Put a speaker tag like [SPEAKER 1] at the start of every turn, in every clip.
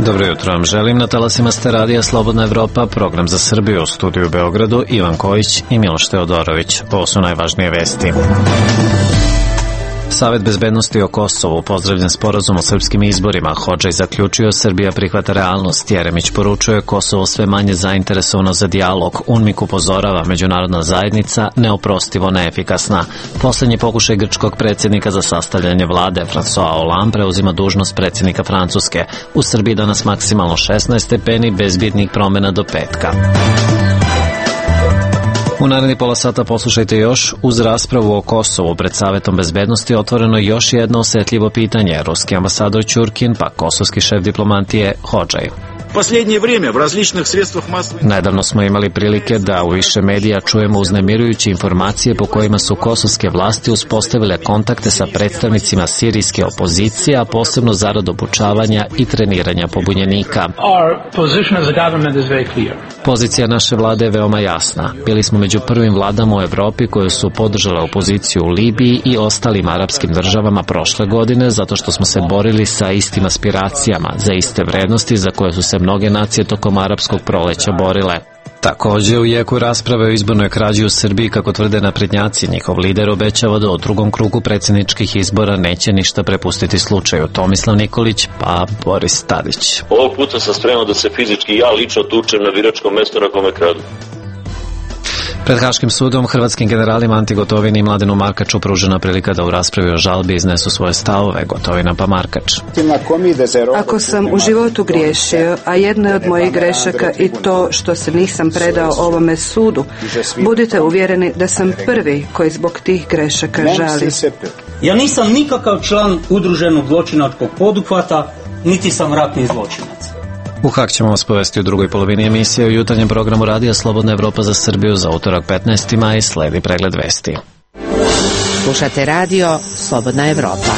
[SPEAKER 1] Dobro jutro vam želim. Na talasima ste radija Slobodna Evropa, program za Srbiju, u studiju u Beogradu, Ivan Kojić i Miloš Teodorović. Ovo su najvažnije vesti. Savet bezbednosti o Kosovu pozdravljen sporazum o srpskim izborima. Hodžaj zaključio, Srbija prihvata realnost. Jeremić poručuje, Kosovo sve manje zainteresovano za dijalog. UNMIK upozorava, međunarodna zajednica neoprostivo neefikasna. Poslednji pokušaj grčkog predsjednika za sastavljanje vlade, François Hollande, preuzima dužnost predsjednika Francuske. U Srbiji danas maksimalno 16 stepeni, bez bitnih promjena do petka. U naredni pola sata poslušajte još, uz raspravu o Kosovu pred Savetom bezbednosti otvoreno još jedno osjetljivo pitanje. Ruski ambasador Ćurkin, pa kosovski šef diplomatije Hodžaj. Nedavno smo imali prilike da u više medija čujemo uznemirujuće informacije po kojima su kosovske vlasti uspostavile kontakte sa predstavnicima sirijske opozicije, a posebno zarad obučavanja i treniranja pobunjenika. Pozicija naše vlade je veoma jasna. Bili smo među prvim vladama u Evropi koje su podržale opoziciju u Libiji i ostalim arapskim državama prošle godine, zato što smo se borili sa istim aspiracijama, za iste vrednosti za koje su se mnoge nacije tokom arapskog proleća borile. Također, u jeku rasprave o izbornoj krađi u Srbiji, kako tvrde naprednjaci, njihov lider obećava da u drugom krugu predsjedničkih izbora neće ništa prepustiti slučaju. Tomislav Nikolić, pa Boris Tadić.
[SPEAKER 2] Ovog puta sam spreman da se fizički ja lično tučem na biračkom mestu na kome kradu.
[SPEAKER 1] Pred Haškim sudom hrvatskim generalima Anti Gotovini i Mladenu Markaču pružena prilika da u raspravi o žalbi iznesu svoje stavove. Gotovina pa Markač.
[SPEAKER 3] Ako sam u životu griješio, a jedna je od mojih grešaka i to što se nisam predao ovome sudu, budite uvjereni da sam prvi koji zbog tih grešaka žali.
[SPEAKER 4] Ja nisam nikakav član udruženog zločinačkog poduhvata, niti sam ratni zločinac.
[SPEAKER 1] U Hak ćemo vas povesti u drugoj polovini emisije. U jutarnjem programu radija Slobodna Evropa za Srbiju za utorak 15. maj sledi pregled vesti.
[SPEAKER 5] Slušate radio Slobodna Evropa.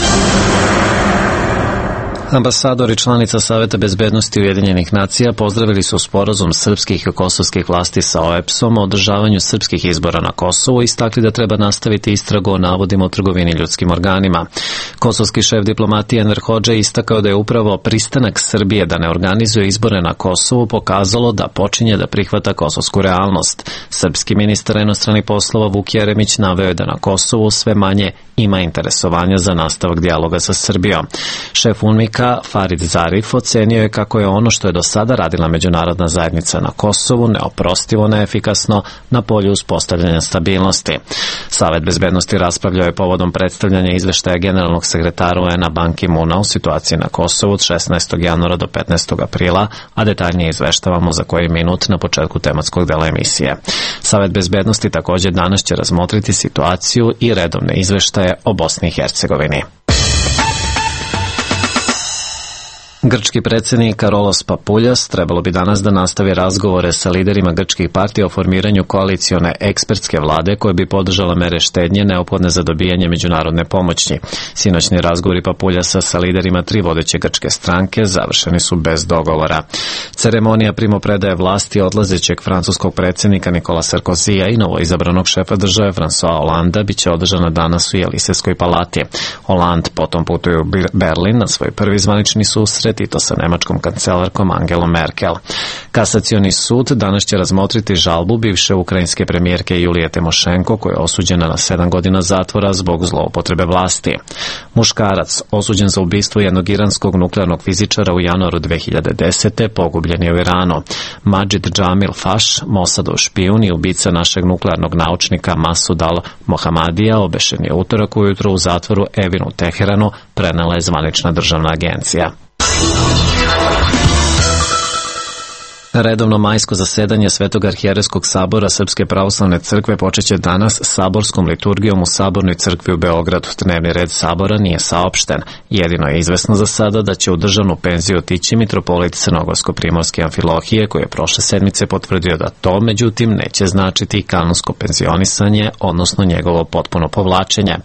[SPEAKER 1] Ambasador i članica Saveta bezbednosti Ujedinjenih nacija pozdravili su sporazum srpskih i kosovskih vlasti sa OEBS-om o održavanju srpskih izbora na Kosovu i istakli da treba nastaviti istragu o navodima o trgovini ljudskim organima. Kosovski šef diplomatije Enver Hodžaj istakao da je upravo pristanak Srbije da ne organizuje izbore na Kosovu pokazalo da počinje da prihvata kosovsku realnost. Srpski ministar inostranih poslova Vuk Jeremić naveo je da na Kosovu sve manje ima interesovanja za nastavak dijaloga sa Srbijom. Šef UNMIK-a Farid Zarif ocenio je kako je ono što je do sada radila međunarodna zajednica na Kosovu neoprostivo neefikasno na polju uspostavljanja stabilnosti. Savet bezbednosti raspravljao je povodom predstavljanja izveštaja generalnog sekretara UN-a Ban Ki-moona u situaciji na Kosovu od 16. januara do 15. aprila, a detaljnije izveštavamo za koji minut na početku tematskog dela emisije. Savet bezbednosti također danas će razmotriti situaciju i redovne izveštaje o Bosni i Hercegovini. Grčki predsjednik Karolos Papuljas trebalo bi danas da nastavi razgovore sa liderima grčkih partija o formiranju koalicione ekspertske vlade koje bi podržala mere štednje neophodne za dobijanje međunarodne pomoći. Sinoćni razgovori Papuljasa sa liderima tri vodeće grčke stranke završeni su bez dogovora. Ceremonija primopredaje vlasti odlazećeg francuskog predsjednika Nikola Sarkozija i novoizabranog šefa države François Hollande biće održana danas u Jelisejskoj palati. Hollande potom putuje u Berlin na svoj prvi zvanični susret i to sa nemačkom kancelarkom Angelom Merkel. Kasacioni sud danas će razmotriti žalbu bivše ukrajinske premijerke Julije Timošenko koja je osuđena na 7 godina zatvora zbog zloupotrebe vlasti. Muškarac osuđen za ubistvo jednog iranskog nuklearnog fizičara u januaru 2010. pogubljen je u Iranu. Majid Džamil Faš, Mossadov špijun i ubica našeg nuklearnog naučnika Masud al-Mohamadija obešen je utorak ujutro u zatvoru Evin u Teheranu, prenela je zvanična državna agencija. Redovno majsko zasedanje Svetog arhijerejskog sabora Srpske pravoslavne crkve počeće danas saborskom liturgijom u Sabornoj crkvi u Beogradu. Dnevni red sabora nije saopšten. Jedino je izvesno za sada da će u državnu penziju otići mitropolit Crnogorsko-primorske Amfilohije, koji je prošle sedmice potvrdio da to, međutim, neće značiti i kanonsko penzionisanje, odnosno njegovo potpuno povlačenje.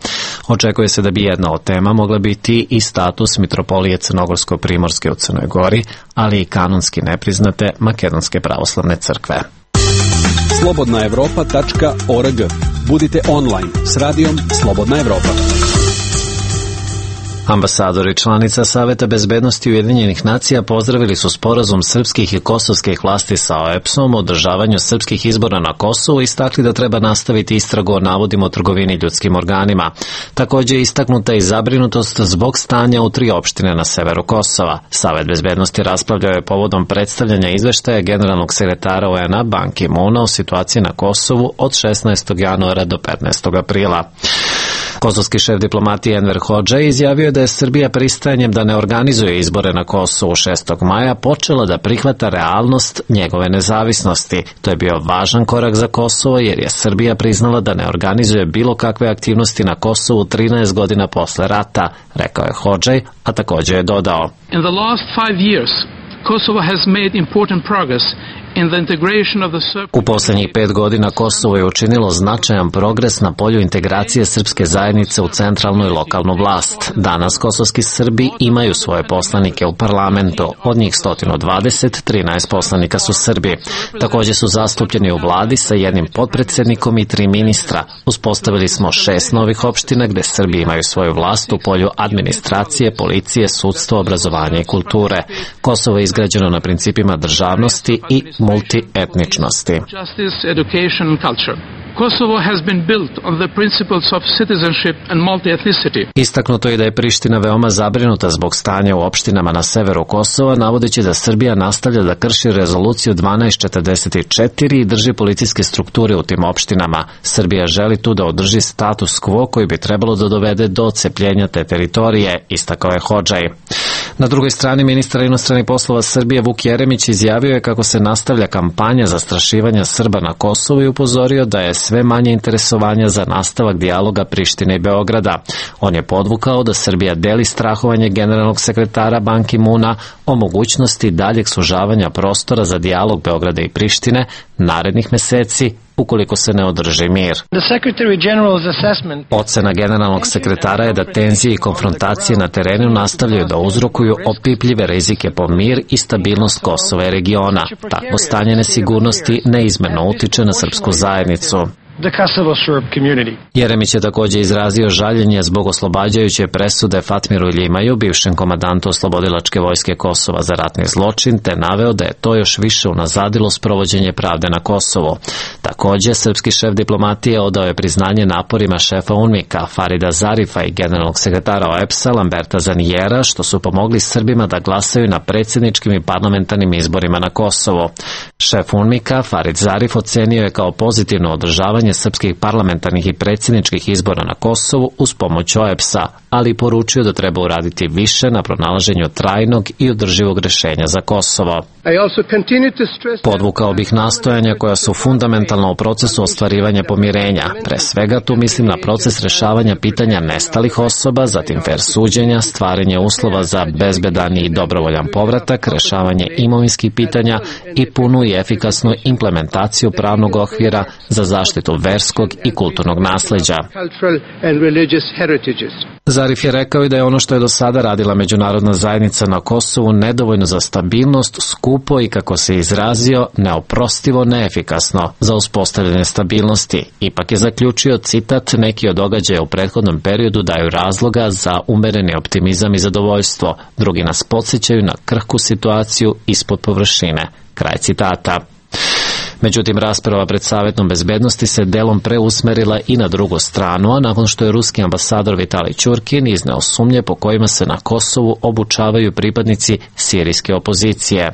[SPEAKER 1] Očekuje se da bi jedna od tema mogla biti i status mitropolije Crnogorsko-primorske u Crnoj Gori, ali i kanonski nepriznate Makedonske pravoslavne crkve.
[SPEAKER 6] slobodnaevropa.org. Budite online s radijom Slobodna Evropa.
[SPEAKER 1] Ambasadori članica Saveta bezbednosti Ujedinjenih nacija pozdravili su sporazum srpskih i kosovskih vlasti sa OEBS-om o održavanju srpskih izbora na Kosovu i istakli da treba nastaviti istragu o navodima o trgovini ljudskim organima. Također je istaknuta i zabrinutost zbog stanja u 3 opštine na severu Kosova. Savet bezbednosti raspravljao je povodom predstavljanja izveštaja generalnog sekretara UN-a Ban Ki-moona o situaciji na Kosovu od 16. januara do 15. aprila. Kosovski šef diplomatije Enver Hodža izjavio je da je Srbija pristajanjem da ne organizuje izbore na Kosovu 6. maja počela da prihvata realnost njegove nezavisnosti. To je bio važan korak za Kosovo jer je Srbija priznala da ne organizuje bilo kakve aktivnosti na Kosovu 13 godina posle rata, rekao je Hodžaj, a također je dodao.
[SPEAKER 7] In the last 5 years, Kosovo has made important progress.
[SPEAKER 1] U posljednjih 5 godina Kosovo je učinilo značajan progres na polju integracije srpske zajednice u centralnu i lokalnu vlast. Danas kosovski Srbi imaju svoje poslanike u parlamentu. Od njih 120, 13 poslanika su Srbi. Također su zastupljeni u vladi sa 1 potpredsjednikom i 3 ministra. Uspostavili smo 6 novih opština gdje Srbi imaju svoju vlast u polju administracije, policije, sudstva, obrazovanja i kulture. Kosovo je izgrađeno na principima državnosti i multietničnosti.
[SPEAKER 7] Kosovo has been built on the principles of citizenship and multi-ethnicity.
[SPEAKER 1] Istaknuto je da je Priština veoma zabrinuta zbog stanja u opštinama na severu Kosova, navodeći da Srbija nastavlja da krši rezoluciju 1244 i drži policijske strukture u tim opštinama. Srbija želi tu da održi status quo koji bi trebalo da dovede do odcepljenja te teritorije, istakao je Hodžaj. Na drugoj strani ministar inostranih poslova Srbije Vuk Jeremić izjavio je kako se nastavlja kampanja zastrašivanja Srba na Kosovu i upozorio da je sve manje interesovanja za nastavak dijaloga Prištine i Beograda. On je podvukao da Srbija deli strahovanje generalnog sekretara Ban Ki-moona o mogućnosti daljeg sužavanja prostora za dijalog Beograda i Prištine narednih meseci ukoliko se ne održi mir. Ocena generalnog sekretara je da tenzije i konfrontacije na terenu nastavljaju da uzrokuju opipljive rizike po mir i stabilnost Kosova i regiona. Takvo stanje nesigurnosti neizmjerno utiče na srpsku zajednicu. Jeremić je također izrazio žaljenje zbog oslobađajuće presude Fatmiru Ljimaju, bivšem komandantu oslobodilačke vojske Kosova za ratni zločin, te naveo da je to još više unazadilo sprovođenje pravde na Kosovu. Također, srpski šef diplomatije odao je priznanje naporima šefa UNMIK-a Farida Zarifa i generalnog sekretara OEBS-a Lamberta Zanijera, što su pomogli Srbima da glasaju na predsjedničkim i parlamentarnim izborima na Kosovo. Šef UNMIK-a Farid Zarif ocenio je kao pozitivno održavanje srpskih parlamentarnih i predsjedničkih izbora na Kosovu uz pomoć OEBS-a, ali poručio da treba uraditi više na pronalaženju trajnog i održivog rješenja za Kosovo. Podvukao bih nastojanja koja su fundamentalna u procesu ostvarivanja pomirenja. Pre svega tu mislim na proces rješavanja pitanja nestalih osoba, zatim fer suđenja, stvaranje uslova za bezbedan i dobrovoljan povratak, rješavanje imovinskih pitanja i punu i efikasnu implementaciju pravnog okvira za zaštitu verskog i kulturnog nasleđa. Zarif je rekao i da je ono što je do sada radila međunarodna zajednica na Kosovu nedovoljno za stabilnost, skupo i, kako se izrazio, neoprostivo neefikasno za uspostavljanje stabilnosti. Ipak je zaključio, citat, neki od događaja u prethodnom periodu daju razloga za umereni optimizam i zadovoljstvo, drugi nas podsjećaju na krhku situaciju ispod površine. Kraj citata. Međutim, rasprava pred Savetom bezbednosti se delom preusmerila i na drugu stranu, a nakon što je ruski ambasador Vitalij Ćurkin izneo sumnje po kojima se na Kosovu obučavaju pripadnici sirijske opozicije.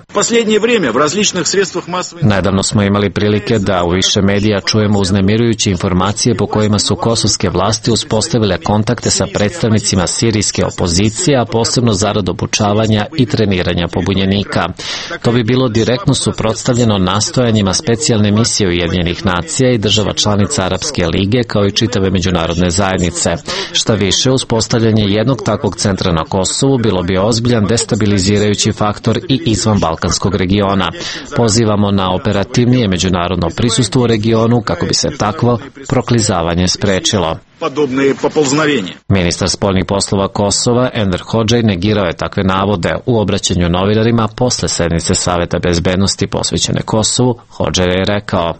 [SPEAKER 1] Nedavno smo imali prilike da u više medija čujemo uznemirujuće informacije po kojima su kosovske vlasti uspostavile kontakte sa predstavnicima sirijske opozicije, a posebno zarad obučavanja i treniranja pobunjenika. To bi bilo direktno suprotstavljeno nastojanjima specijalne misije Ujedinjenih nacija i država članica Arapske lige kao i čitave međunarodne zajednice. Šta više, uspostavljanje jednog takvog centra na Kosovu bilo bi ozbiljan destabilizirajući faktor i izvan Balkanskog regiona. Pozivamo na operativnije međunarodno prisustvo u regionu kako bi se takvo proklizavanje sprečilo. Ministar spoljnih poslova Kosova Enver Hodžaj negirao je takve navode u obraćanju novinarima posle sednice Saveta bezbednosti posvećene Kosovu. Hodžaj je rekao: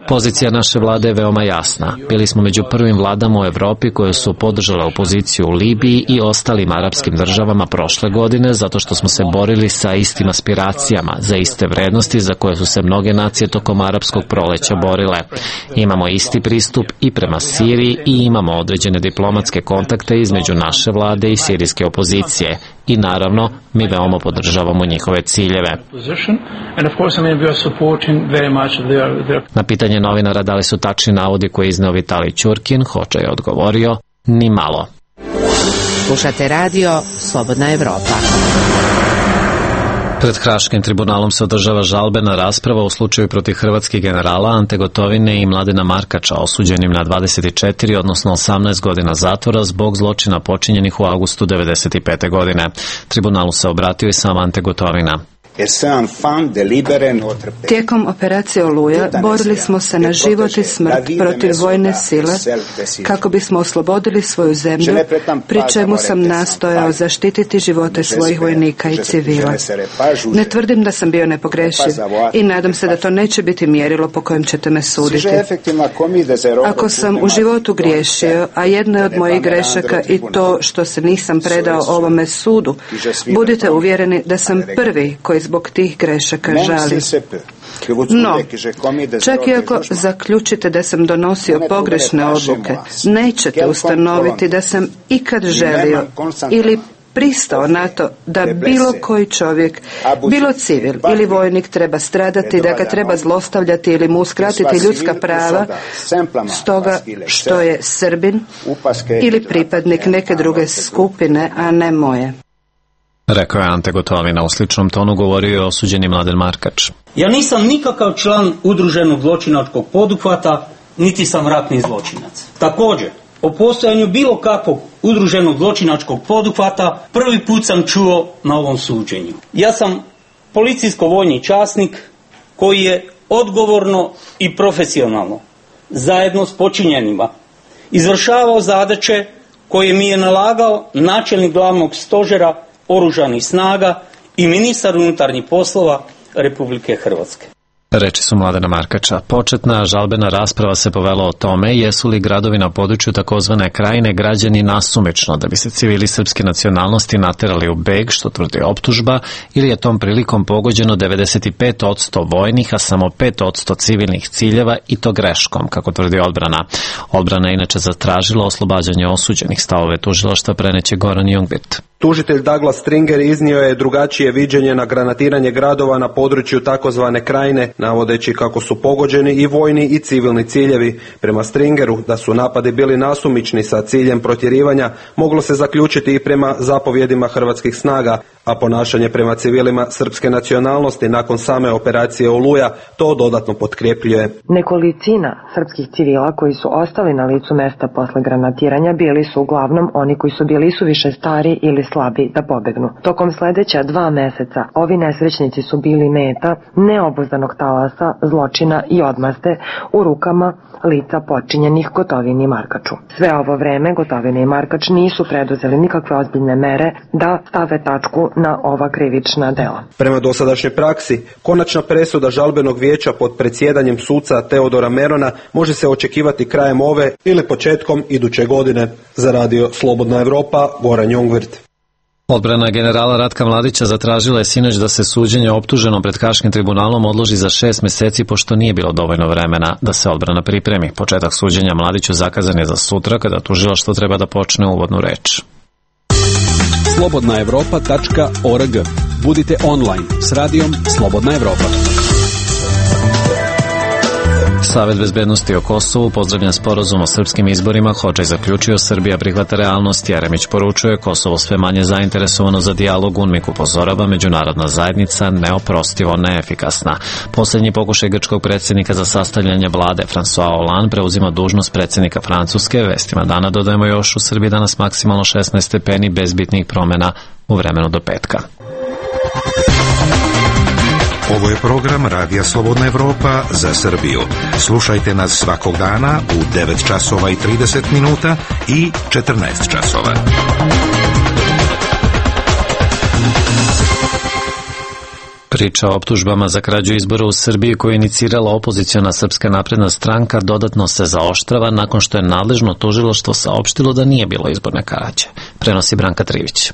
[SPEAKER 1] Pozicija naše vlade je veoma jasna. Bili smo među prvim vladama u Evropi koje su podržale opoziciju u Libiji i ostalim arapskim državama prošle godine zato što smo se borili sa istim aspiracijama, za iste vrednosti za koje su se mnoge nacije tokom arapskog proleća borile. Imamo isti pristup i prema Siriji i imamo određene diplomatske kontakte između naše vlade i sirijske opozicije. I naravno, mi veoma podržavamo njihove ciljeve. Na pitanje novinara da li su tačni navodi koje izneo Vitalij Ćurkin, Hodžaj je odgovorio: ni malo.
[SPEAKER 5] Slušate radio Slobodna Evropa.
[SPEAKER 1] Pred Haškim tribunalom se održava žalbena rasprava u slučaju protiv hrvatskih generala Ante Gotovine i Mladena Markača, osuđenim na 24, odnosno 18 godina zatvora zbog zločina počinjenih u avgustu 1995. godine. Tribunalu se obratio i sam Ante Gotovina.
[SPEAKER 3] Tijekom operacije Oluja borili smo se na život i smrt protiv vojne sile kako bismo oslobodili svoju zemlju, pri čemu sam nastojao zaštititi živote svojih vojnika i civila. Ne tvrdim da sam bio nepogrešiv i nadam se da to neće biti mjerilo po kojem ćete me suditi. Ako sam u životu griješio, a jedna je od mojih grešaka i to što se nisam predao ovome sudu, budite uvjereni da sam prvi koji zbog tih grešaka žali. No, čak i ako zaključite da sam donosio pogrešne odluke, nećete ustanoviti da sam ikad želio ili pristao na to da bilo koji čovjek, bilo civil ili vojnik treba stradati, da ga treba zlostavljati ili mu uskratiti ljudska prava stoga što je Srbin ili pripadnik neke druge skupine, a ne moje.
[SPEAKER 1] Rekao je Ante Gotovina. U sličnom tonu govorio je osuđeni Mladen Markač.
[SPEAKER 4] Ja nisam nikakav član udruženog zločinačkog poduhvata, niti sam ratni zločinac. Također, o postojanju bilo kakvog udruženog zločinačkog poduhvata prvi put sam čuo na ovom suđenju. Ja sam policijsko-vojni časnik koji je odgovorno i profesionalno, zajedno s počinjenima, izvršavao zadaće koje mi je nalagao načelnik glavnog stožera Oružanih snaga i ministar unutarnjih poslova Republike Hrvatske.
[SPEAKER 1] Reči su Mladena Markača. Početna žalbena rasprava se povela o tome jesu li gradovi na području takozvane Krajine građani nasumično da bi se civili srpske nacionalnosti naterali u beg, što tvrdi optužba, ili je tom prilikom pogođeno 95% vojnih, a samo 5% civilnih ciljeva i to greškom, kako tvrdi odbrana. Odbrana je inače zatražila oslobađanje osuđenih. Stavove tužilaštva preneće Goran Jungwirth.
[SPEAKER 8] Tužitelj Douglas Stringer iznio je drugačije viđenje na granatiranje gradova na području takozvane Krajine, navodeći kako su pogođeni i vojni i civilni ciljevi. Prema Stringeru, da su napadi bili nasumični sa ciljem protjerivanja, moglo se zaključiti i prema zapovjedima hrvatskih snaga, a ponašanje prema civilima srpske nacionalnosti nakon same operacije Oluja to dodatno potkrepljuje.
[SPEAKER 9] Nekolicina srpskih civila koji su ostali na licu mesta posle granatiranja bili su uglavnom oni koji su bili suviše stari ili slabi da pobegnu. Tokom sledeća 2 meseca ovi nesrećnici su bili meta neobuzdanog talasa, zločina i odmazde u rukama lica počinjenih Gotovini i Markaču. Sve ovo vreme Gotovina i Markač nisu preduzeli nikakve ozbiljne mere da stave tačku na ova krivična dela.
[SPEAKER 8] Prema dosadašnjoj praksi, konačna presuda žalbenog vijeća pod predsjedanjem suca Teodora Merona može se očekivati krajem ove ili početkom iduće godine. Za radio Slobodna Evropa, Goran Jungwirth.
[SPEAKER 1] Odbrana generala Ratka Mladića zatražila je sinoć da se suđenje optuženom pred Haškim tribunalom odloži za 6 meseci, pošto nije bilo dovoljno vremena da se odbrana pripremi. Početak suđenja Mladiću zakazan je za sutra, kada tužilaštvo treba da počne uvodnu reč.
[SPEAKER 6] slobodnaevropa.org. Budite online s radijom Slobodna Evropa.
[SPEAKER 1] Savet bezbednosti o Kosovu pozdravlja sporazum o srpskim izborima. Hodžaj zaključio, Srbija prihvata realnost. Jeremić poručuje, Kosovo sve manje zainteresovano za dijalog. UNMIK upozorava, međunarodna zajednica neoprostivo neefikasna. Posljednji pokušaj grčkog predsjednika za sastavljanje vlade, François Hollande, preuzima dužnost predsjednika Francuske. Vestima dana dodajemo još, u Srbiji danas maksimalno 16 stepeni bez bitnih promjena u vremenu do petka.
[SPEAKER 10] Ovo je program Radija Slobodna Evropa za Srbiju. Slušajte nas svakog dana u 9 časova i 30 minuta i 14 časova.
[SPEAKER 1] Priča o optužbama za krađu izbora u Srbiji koju je inicirala opoziciona Srpska napredna stranka dodatno se zaoštrava nakon što je nadležno tužilaštvo saopštilo da nije bilo izborne krađe. Prenosi Branka Trivić.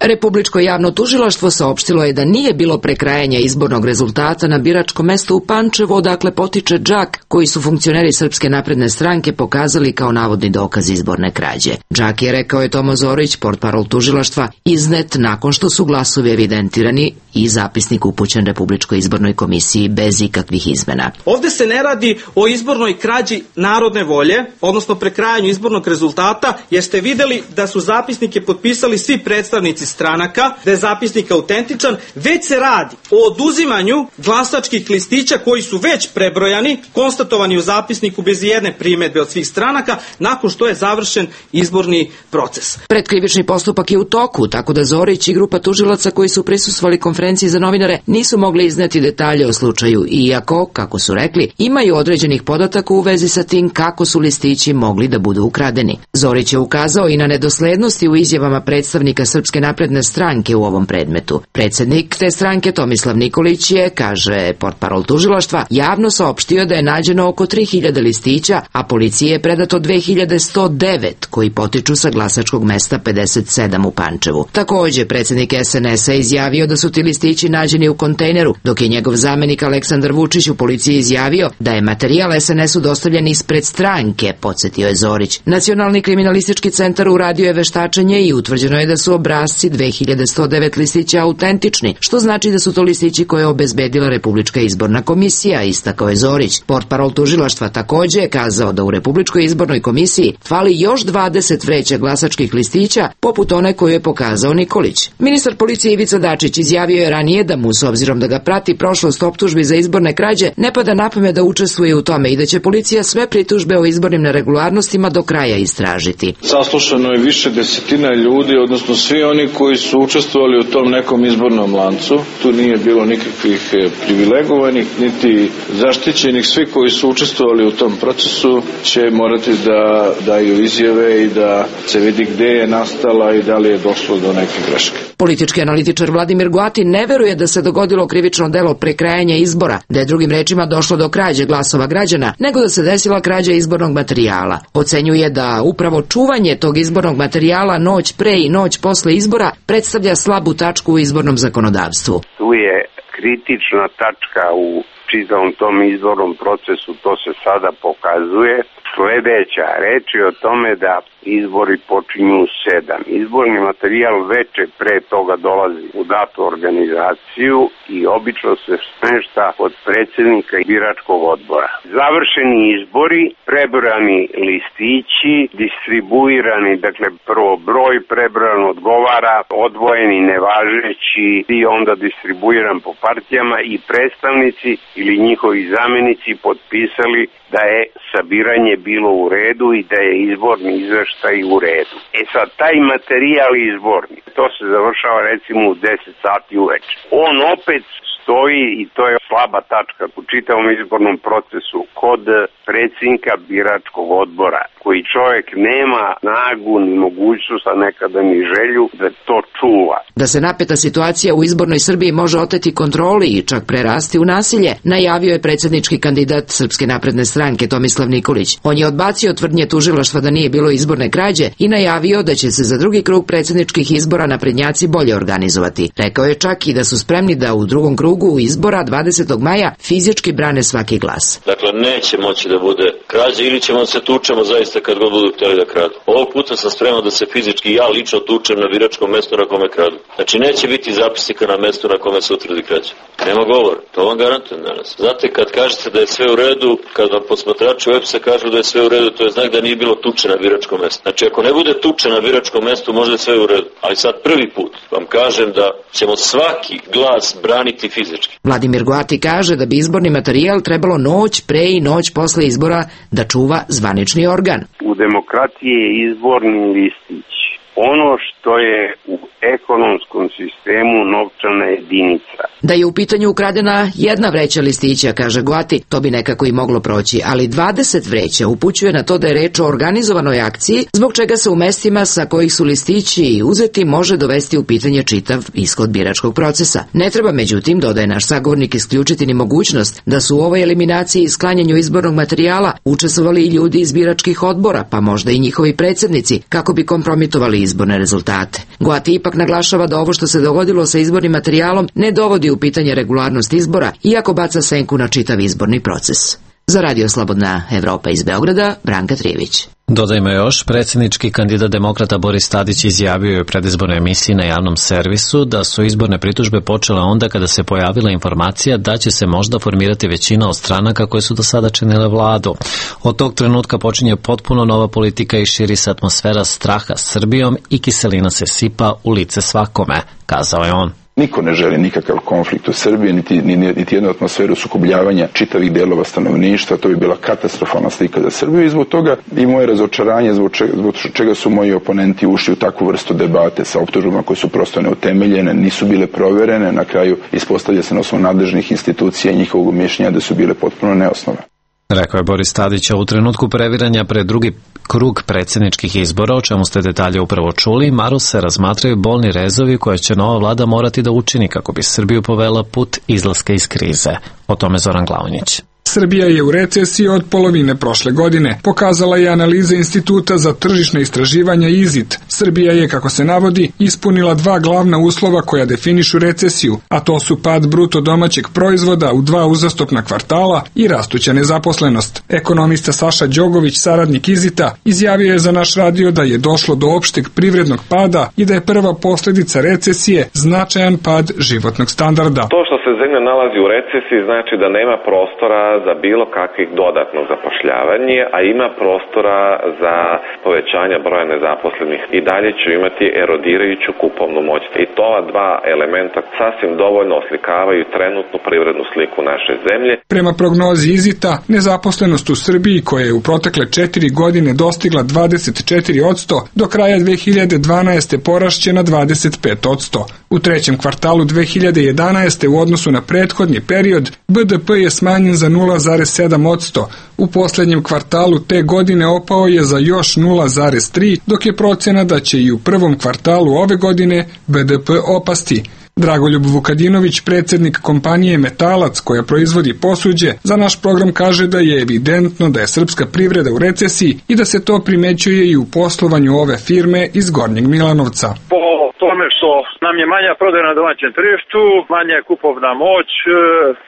[SPEAKER 11] Republičko javno tužilaštvo saopštilo je da nije bilo prekrajanja izbornog rezultata na biračkom mestu u Pančevu, odakle potiče Džak, koji su funkcioneri Srpske napredne stranke pokazali kao navodni dokaz izborne krađe. Džak je, rekao je Tomo Zorić, portparol tužilaštva, iznet nakon što su glasovi evidentirani i zapisnik upućen Republičkoj izbornoj komisiji bez ikakvih izmena.
[SPEAKER 12] Ovde se ne radi o izbornoj krađi narodne volje, odnosno prekrajanju izbornog rezultata, jer ste videli da su zapisnike potpisali svi predstavnici stranaka, da je zapisnik autentičan, već se radi o oduzimanju glasačkih listića koji su već prebrojani, konstatovani u zapisniku bez jedne primedbe od svih stranaka, nakon što je završen izborni proces.
[SPEAKER 11] Predkrivični postupak je u toku, tako da Zorić i grupa tužilaca koji su prisustvovali konferenciji za novinare nisu mogli izneti detalje o slučaju, iako, kako su rekli, imaju određenih podataka u vezi sa tim kako su listići mogli da budu ukradeni. Zorić je ukazao i na nedoslednosti u izjavama predstavnika Srpske napredne stranke u ovom predmetu. Predsednik te stranke Tomislav Nikolić je, kaže portparol tužilaštva, javno saopštio da je nađeno oko 3000 listića, a policiji je predato 2109 koji potiču sa glasačkog mesta 57 u Pančevu. Takođe, predsednik SNS-a izjavio da su ti listići nađeni u kontejneru, dok je njegov zamenik Aleksandar Vučić u policiji izjavio da je materijal SNS-u dostavljen ispred stranke, podsetio je Zorić. Nacionalni kriminalistički centar uradio je veštačenje i utvrđeno je da su obrasci 2109 listića autentični, što znači da su to listići koje je obezbedila Republička izborna komisija, istakao je Zorić. Portparol tužilaštva takođe je kazao da u Republičkoj izbornoj komisiji fali još 20 vreća glasačkih listića, poput one koju je pokazao Nikolić. Ministar policije Ivica Dačić izjavio je ranije da mu, s obzirom da ga prati prošlost optužbi za izborne krađe, ne pada na pamet da učestvuje u tome i da će policija sve pritužbe o izbornim neregularnostima do kraja istražiti.
[SPEAKER 13] Saslušano je više desetina ljudi, odnosno svi oni koji su učestvovali u tom nekom izbornom lancu. Tu nije bilo nikakvih privilegovanih, niti zaštićenih. Svi koji su učestvovali u tom procesu će morati da daju izjave i da se vidi gde je nastala i da li je došlo do neke greške.
[SPEAKER 11] Politički analitičar Vladimir Goati ne veruje da se dogodilo krivično delo prekrajanja izbora, da je drugim rečima došlo do krađe glasova građana, nego da se desila krađa izbornog materijala. Ocenjuje da upravo čuvanje tog izbornog materijala noć pre i noć posle izbora predstavlja slabu tačku u izbornom zakonodavstvu.
[SPEAKER 14] Tu je kritična tačka u čitavom tom izbornom procesu, to se sada pokazuje. Sledeća reč je o tome da izbori počinju u 7. Izborni materijal veče pre toga dolazi u datu organizaciju i obično se smešta od predsjednika biračkog odbora. Završeni izbori, prebrojani listići, distribuirani, dakle prvo broj prebrojan odgovara, odvojeni nevažeći i onda distribuiran po partijama i predstavnici ili njihovi zamenici potpisali da je sabiranje bilo u redu i da je izborni izveštaj u redu. Sad, taj materijal izborni, to se završava recimo u 10 sati uveče. On opet stoji, i to je slaba tačka u čitavom izbornom procesu, kod predsjednika biračkog odbora, koji čovjek nema snagu ni mogućnost, a nekada ni želju da to čuva.
[SPEAKER 11] Da se napeta situacija u izbornoj Srbiji može oteti kontroli i čak prerasti u nasilje, najavio je predsjednički kandidat Srpske napredne stranke Tomislav Nikolić. On je odbacio tvrdnje tužilaštva da nije bilo izborne krađe i najavio da će se za drugi krug predsjedničkih izbora naprednjaci bolje organizovati. Rekao je čak i da su spremni da u drugom krugu izbora 20. maja fizički brane svaki glas.
[SPEAKER 2] Dakle, neće moći da bude krađa ili ćemo se tučemo zaista kad god budu htjeli da kradu. Ovog puta sam spreman da se fizički ja lično tučem na biračkom mestu na kome kradu. Znači, neće biti zapisnika na mestu na kome se utvrdi krađa. Nema govora, to vam garantujem danas. Znate, kad kažete da je sve u redu, kad vam posmatrači web-a kažu da je sve u redu, to je znak da nije bilo tuče na biračkom mestu. Znači, ako ne bude tuče na biračkom mestu, možda je sve u redu. Ali sad prvi put vam kažem da ćemo svaki glas braniti fizički.
[SPEAKER 11] Vladimir Goati kaže da bi izborni materijal trebalo noć pre i noć posle izbora da čuva zvanični organ.
[SPEAKER 14] U demokratiji je izborni listić ono što je u ekonomskom sistemu novčana jedinica.
[SPEAKER 11] Da je u pitanju ukradena jedna vreća listića, kaže Goati, to bi nekako i moglo proći, ali 20 vreća upućuje na to da je reč o organizovanoj akciji, zbog čega se u mestima sa kojih su listići uzeti može dovesti u pitanje čitav ishod biračkog procesa. Ne treba, međutim, dodaje naš sagovornik, isključiti ni mogućnost da su u ovoj eliminaciji i sklanjanju izbornog materijala učestvovali i ljudi iz biračkih odbora, pa možda i njihovi predsjednici, kako bi kompromitovali izborne rezultate. Goati ipak naglašava da ovo što se dogodilo sa izbornim materijalom ne dovodi u pitanje regularnost izbora, iako baca senku na čitav izborni proces. Za Radio Slobodna Evropa iz Beograda, Branka Trijević.
[SPEAKER 1] Dodajmo još, predsjednički kandidat demokrata Boris Tadić izjavio je u predizbornoj emisiji na javnom servisu da su izborne pritužbe počele onda kada se pojavila informacija da će se možda formirati većina od stranaka koje su do sada činile vladu. Od tog trenutka počinje potpuno nova politika i širi se atmosfera straha Srbijom i kiselina se sipa u lice svakome, kazao je on.
[SPEAKER 15] Niko ne želi nikakav konflikt u Srbiji, niti jednu atmosferu sukobljavanja čitavih delova stanovništva, to bi bila katastrofalna slika za Srbiju i zbog toga i moje razočaranje, zbog čega su moji oponenti ušli u takvu vrstu debate sa optužbama koje su prosto neutemeljene, nisu bile proverene, na kraju ispostavlja se na osnovu nadležnih institucija i njihovog mišljenja da su bile potpuno neosnovane.
[SPEAKER 1] Rekao je Boris Tadić, u trenutku previranja pred drugi krug predsjedničkih izbora, o čemu ste detalje upravo čuli, Maru se razmatraju bolni rezovi koje će nova vlada morati da učini kako bi Srbiju povela put izlaska iz krize. O tome Zoran Glavnić.
[SPEAKER 16] Srbija je u recesiji od polovine prošle godine, pokazala je analiza Instituta za tržišne istraživanja IZIT. Srbija je, kako se navodi, ispunila dva glavna uslova koja definišu recesiju, a to su pad bruto domaćeg proizvoda u 2 uzastopna kvartala i rastuća nezaposlenost. Ekonomista Saša Đogović, saradnik IZIT-a, izjavio je za naš radio da je došlo do opšteg privrednog pada i da je prva posljedica recesije značajan pad životnog standarda.
[SPEAKER 17] To što se zemlja nalazi u recesiji znači da nema prostora za bilo kakvih dodatnog zapošljavanja, a ima prostora za povećanje broja nezaposlenih. I dalje će imati erodirajuću kupovnu moć. I to ova dva elementa sasvim dovoljno oslikavaju trenutnu privrednu sliku naše zemlje.
[SPEAKER 16] Prema prognozi IZIT-a, nezaposlenost u Srbiji, koja je u protekle 4 godine dostigla 24%, do kraja 2012. porašće na 25%. U trećem kvartalu 2011. u odnosu na prethodni period, BDP je smanjen za 0,7%. U posljednjem kvartalu te godine opao je za još 0,3%, dok je procena da će i u prvom kvartalu ove godine BDP opasti. Dragoljub Vukadinović, predsjednik kompanije Metalac koja proizvodi posuđe, za naš program kaže da je evidentno da je srpska privreda u recesiji i da se to primećuje i u poslovanju ove firme iz Gornjeg Milanovca.
[SPEAKER 18] Po tome što nam je manja prodaja na domaćem tržištu, manja je kupovna moć,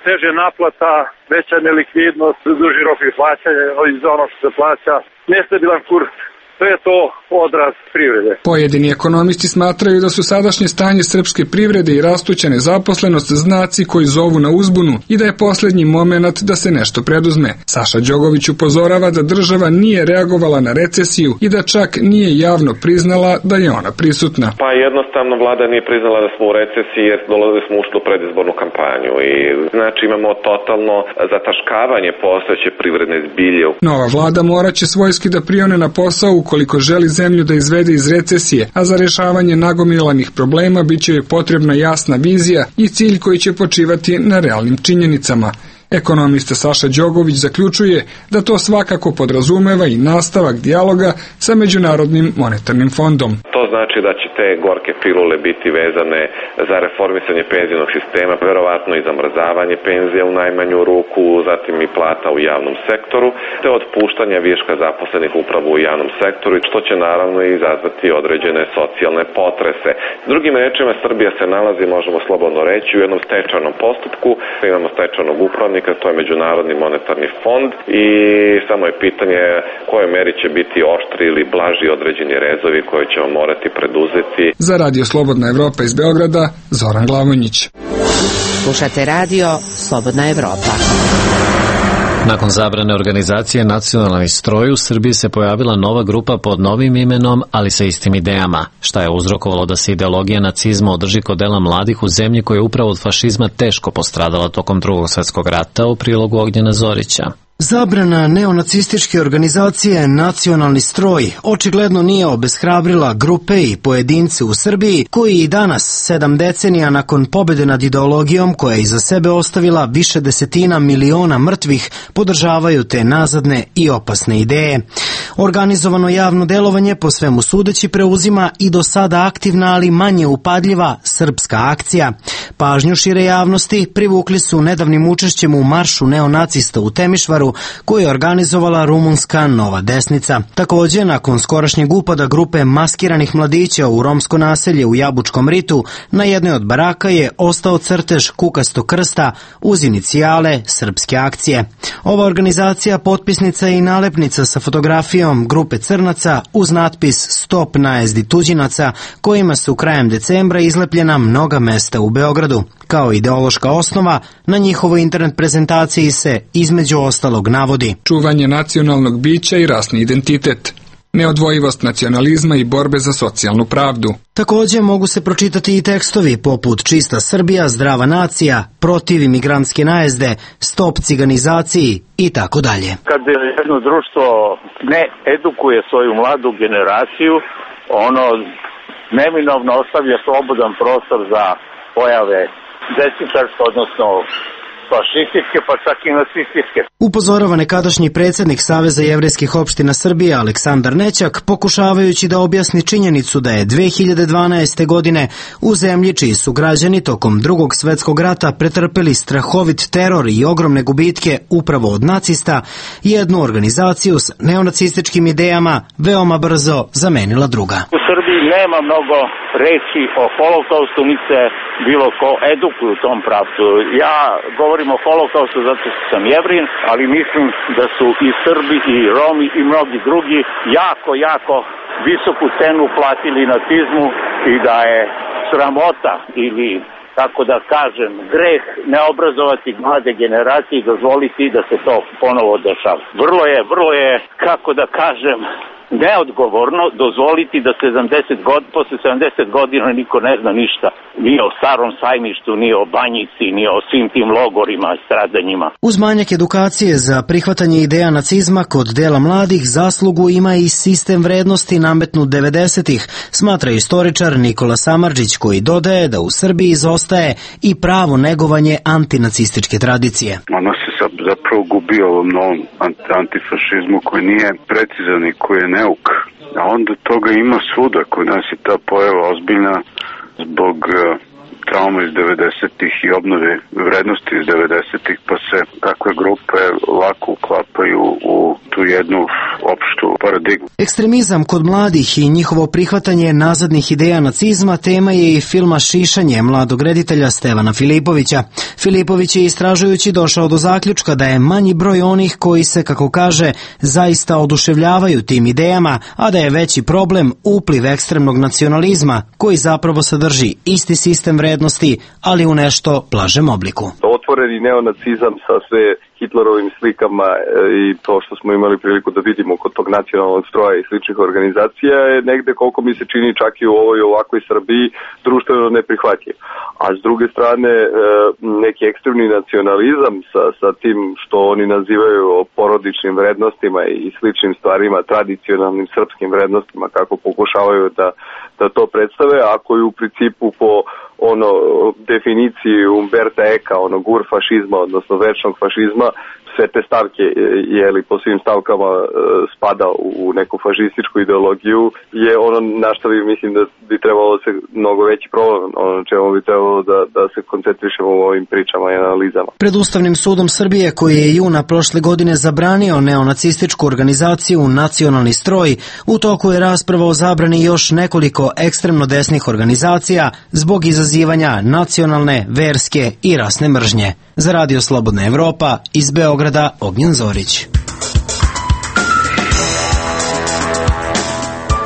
[SPEAKER 18] teže naplata, veća nelikvidnost, duži rok plaćanja iz ono što se plaća, nestabilan kurs. Sve je to odraz privrede.
[SPEAKER 16] Pojedini ekonomisti smatraju da su sadašnje stanje srpske privrede i rastuća nezaposlenost znaci koji zovu na uzbunu i da je posljednji moment da se nešto preduzme. Saša Đogović upozorava da država nije reagovala na recesiju i da čak nije javno priznala da je ona prisutna.
[SPEAKER 17] Pa jednostavno vlada nije priznala da smo u recesiji jer dolazili smo ušli u predizbornu kampanju i znači imamo totalno zataškavanje postojeće privredne zbilje.
[SPEAKER 16] Nova vlada morat će svojski da prione na posao ukoliko želi zemlju da izvede iz recesije, a za rješavanje nagomilanih problema bit će joj potrebna jasna vizija i cilj koji će počivati na realnim činjenicama. Ekonomista Saša Đogović zaključuje da to svakako podrazumeva i nastavak dijaloga sa Međunarodnim monetarnim fondom.
[SPEAKER 17] To znači da će te gorke pilule biti vezane za reformisanje penzijnog sistema, verovatno i zamrzavanje penzija u najmanju ruku, zatim i plata u javnom sektoru, te otpuštanja viška zaposlenih upravo u javnom sektoru, što će naravno izazvati određene socijalne potrese. Drugim rečima, Srbija se nalazi, možemo slobodno reći, u jednom stečajnom postupku. Imamo stečajnog upravnika, to je Međunarodni monetarni fond i samo je pitanje koje meri će biti oštri ili blaži određeni rezovi koje ćemo morati preduzeti.
[SPEAKER 16] Za Radio Slobodna Evropa iz Beograda, Zoran Glavonjić.
[SPEAKER 5] Slušate Radio Slobodna Evropa.
[SPEAKER 1] Nakon zabrane organizacije Nacionalni stroj, u Srbiji se pojavila nova grupa pod novim imenom, ali sa istim idejama. Šta je uzrokovalo da se ideologija nacizma održi kod dela mladih u zemlji koja je upravo od fašizma teško postradala tokom Drugog svjetskog rata, u prilogu Ognjena Zorića.
[SPEAKER 19] Zabrana neonacističke organizacije Nacionalni stroj očigledno nije obeshrabrila grupe i pojedince u Srbiji koji i danas, 7 decenija nakon pobjede nad ideologijom koja je iza sebe ostavila više desetina miliona mrtvih, podržavaju te nazadne i opasne ideje. Organizovano javno delovanje po svemu sudeći preuzima i do sada aktivna, ali manje upadljiva srpska akcija. Pažnju šire javnosti privukli su nedavnim učešćem u maršu neonacista u Temišvaru koju je organizovala rumunska Nova desnica. Također, nakon skorašnjeg upada grupe maskiranih mladića u romsko naselje u Jabučkom ritu, na jednoj od baraka je ostao crtež kukastog krsta uz inicijale srpske akcije. Ova organizacija potpisnica je i nalepnica sa fotografijom grupe crnaca uz natpis Stop najezdi tuđinaca, kojima su krajem decembra izlepljena mnoga mesta u Beogradu. Kao ideološka osnova, na njihovoj internet prezentaciji se između ostalog navodi
[SPEAKER 16] čuvanje nacionalnog bića i rasni identitet, neodvojivost nacionalizma i borbe za socijalnu pravdu.
[SPEAKER 19] Također mogu se pročitati i tekstovi poput Čista Srbija, Zdrava nacija, Protiv imigrantske najezde, Stop ciganizaciji i tako dalje.
[SPEAKER 20] Kad jedno društvo ne edukuje svoju mladu generaciju, ono neminovno ostavlja slobodan prostor za pojave desničarske, odnosno fašističke, pa čak i nacističke.
[SPEAKER 19] Upozorava nekadašnji predsjednik Saveza jevrejskih opština Srbije Aleksandar Nećak, pokušavajući da objasni činjenicu da je 2012. godine u zemlji čiji su građani tokom Drugog svjetskog rata pretrpeli strahovit teror i ogromne gubitke upravo od nacista, jednu organizaciju s neonacističkim idejama veoma brzo zamenila druga.
[SPEAKER 20] U Srbiji nema mnogo reći o holokaustu, ni se bilo ko edukuje u tom pravcu. Ja govorim o holokaustu zato što sam Jevrin, ali mislim da su i Srbi i Romi i mnogi drugi jako visoku cenu platili nacizmu i da je sramota ili, tako da kažem, greh ne obrazovati mlade generacije i dozvoliti da se to ponovo dešava. Vrlo je, kako da kažem, neodgovorno dozvoliti da posle 70 godina niko ne zna ništa. Ni o Starom sajmištu, ni o Banjici, ni o svim tim logorima i stradanjima.
[SPEAKER 19] Uz manjak edukacije za prihvatanje ideja nacizma kod dela mladih, zaslugu ima i sistem vrednosti nametnut 90-ih, smatra istoričar Nikola Samardžić, koji dodaje da u Srbiji izostaje i pravo negovanje antinacističke tradicije.
[SPEAKER 21] Ono se zapravo gubi ovom novom antifašizmu koji nije precizan i koji je neuk. A onda toga ima svuda. Kod nas je ta pojava ozbiljna zbog trauma iz 90-ih i obnove vrednosti iz 90-ih, pa se takve grupe lako uklapaju u tu jednu opštu paradigmu.
[SPEAKER 19] Ekstremizam kod mladih i njihovo prihvatanje nazadnih ideja nacizma tema je i filma Šišanje mladog reditelja Stevana Filipovića. Filipović je istražujući došao do zaključka da je manji broj onih koji se, kako kaže, zaista oduševljavaju tim idejama, a da je veći problem upliv ekstremnog nacionalizma koji zapravo sadrži isti sistem vrednosti, ali u nešto blažem obliku.
[SPEAKER 22] Otvoreni neonacizam sa sve Hitlerovim slikama i to što smo imali priliku da vidimo kod tog nacionalnog stroja i sličnih organizacija je negde, koliko mi se čini, čak i u ovoj ovakvoj Srbiji društveno neprihvatljiv. A s druge strane neki ekstremni nacionalizam sa tim što oni nazivaju porodičnim vrednostima i sličnim stvarima, tradicionalnim srpskim vrednostima, kako pokušavaju da to predstave, ako je u principu po definiciji Umberta Eka, gur fašizma, odnosno večnog fašizma, sve te stavke, po svim stavkama spada u neku fašističku ideologiju, je na što mislim da bi trebalo se mnogo veći problem, na čemu bi trebalo da se koncentrišemo u ovim pričama i analizama.
[SPEAKER 19] Pred Ustavnim sudom Srbije, koji je juna prošle godine zabranio neonacističku organizaciju Nacionalni stroj, u toku je rasprava o zabrani još nekoliko ekstremno desnih organizacija zbog izazivanja nacionalne, verske i rasne mržnje. Za Radio Slobodna Evropa, iz Beograda, Ognjen Zorić.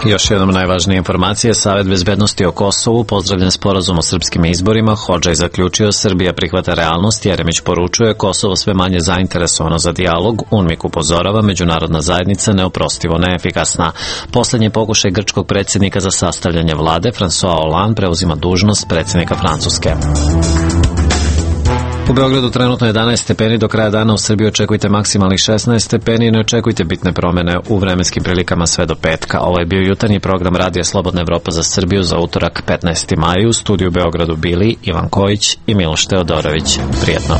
[SPEAKER 1] Još jednom najvažnije informacije. Savet bezbednosti o Kosovu pozdravljen sporazum o srpskim izborima. Hodžaj zaključio, Srbija prihvata realnost. Jeremić poručuje, Kosovo sve manje zainteresovano za dijalog. UNMIK upozorava, međunarodna zajednica neoprostivo neefikasna. Poslednji pokušaj grčkog predsjednika za sastavljanje vlade, François Hollande, preuzima dužnost predsjednika Francuske. U Beogradu trenutno 11 stepeni, do kraja dana u Srbiji očekujte maksimalnih 16 stepeni i ne očekujte bitne promene u vremenskim prilikama sve do petka. Ovo je bio jutarnji program Radija Slobodna Evropa za Srbiju za utorak 15. maj. U studiju u Beogradu bili Ivan Kojić i Miloš Teodorović. Prijetno.